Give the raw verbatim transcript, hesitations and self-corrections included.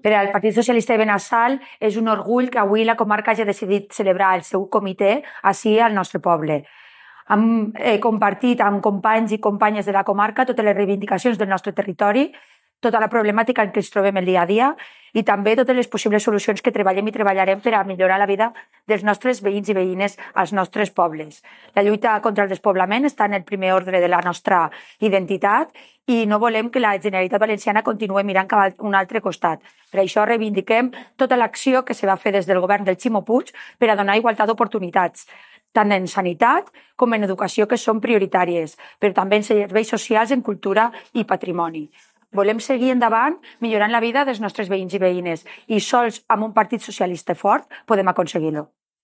Per al Partit Socialista de Benassal és un orgull que avui la comarca hagi decidit celebrar el seu comitè ací al nostre poble. Hem eh, compartit amb companys i companyes de la comarca totes les reivindicacions del nostre territori, tota la problemàtica en què ens trobem el dia a dia i també totes les possibles solucions que treballem i treballarem per a millorar la vida dels nostres veïns i veïnes als nostres pobles. La lluita contra el despoblament està en el primer ordre de la nostra identitat i no volem que la Generalitat Valenciana continuï mirant cap a un altre costat. Per això reivindiquem tota l'acció que se va fer des del govern del Ximo Puig per a donar igualtat d'oportunitats, tant en sanitat com en educació, que són prioritàries, però també en serveis socials, en cultura i patrimoni. Volem seguir endavant millorant la vida dels nostres veïns i veïnes i sols amb un partit socialista fort podem aconseguir-ho.